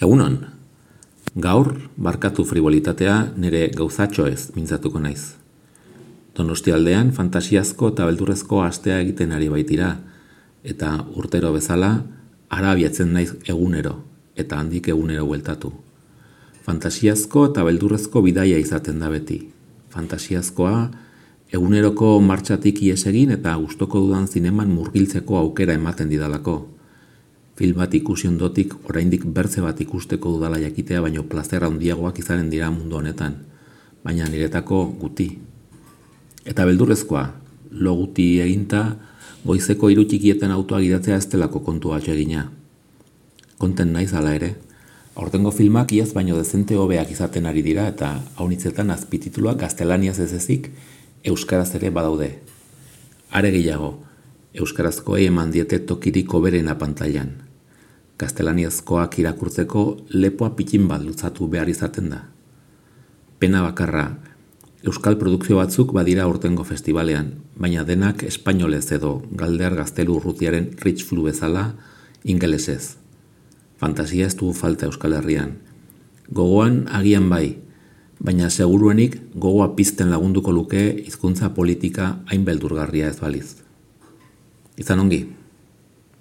Egunon, gaur barkatu frivolitatea nire gauzatxo ez mintzatuko naiz. Donostialdean fantasiazko eta beldurrezko astea egiten ari baitira, eta urtero bezala hara abiatzen naiz egunero, eta handik egunero bueltatu. Fantasiazko eta beldurrezko bidaia izaten da beti. Fantasiazkoa eguneroko martxatik ihes egin eta gustoko dudan zineman murgiltzeko aukera ematen didalako. Film bat ikusi ondotik oraindik bertze bat ikusteko dudala jakitea baino plazer handiagoak izanen dira mundu honetan, baina niretako guti. Eta beldurrezkoa, lo guti eginta, goizeko 3 txikietan autoa gidatzea ez delako kontua egina. Konten naiz hala ere, aurtengo filmak iaz baino dezente hobeak izaten ari dira eta haunitzetan azpitituluak gaztelaniaz ez ezik, euskaraz ere badaude. Are gehiago, euskarazkoei eman diete tokirik hoberena pantailan. Gaztelaniazkoak irakurtzeko lepoa pitin bat lutzatu behar izaten da. Pena bakarra, euskal produkzio batzuk badira aurtengo festivalean, baina denak espainolez edo Galdear Gaztelu Urrutiaren Rich Flu bezala ingelesez. Fantasia ez dugu falta Euskal Herrian. Gogoan agian bai, baina seguruenik gogoa pizten lagunduko luke hizkuntza politika hain beldurgarria ez baliz. Izan ongi.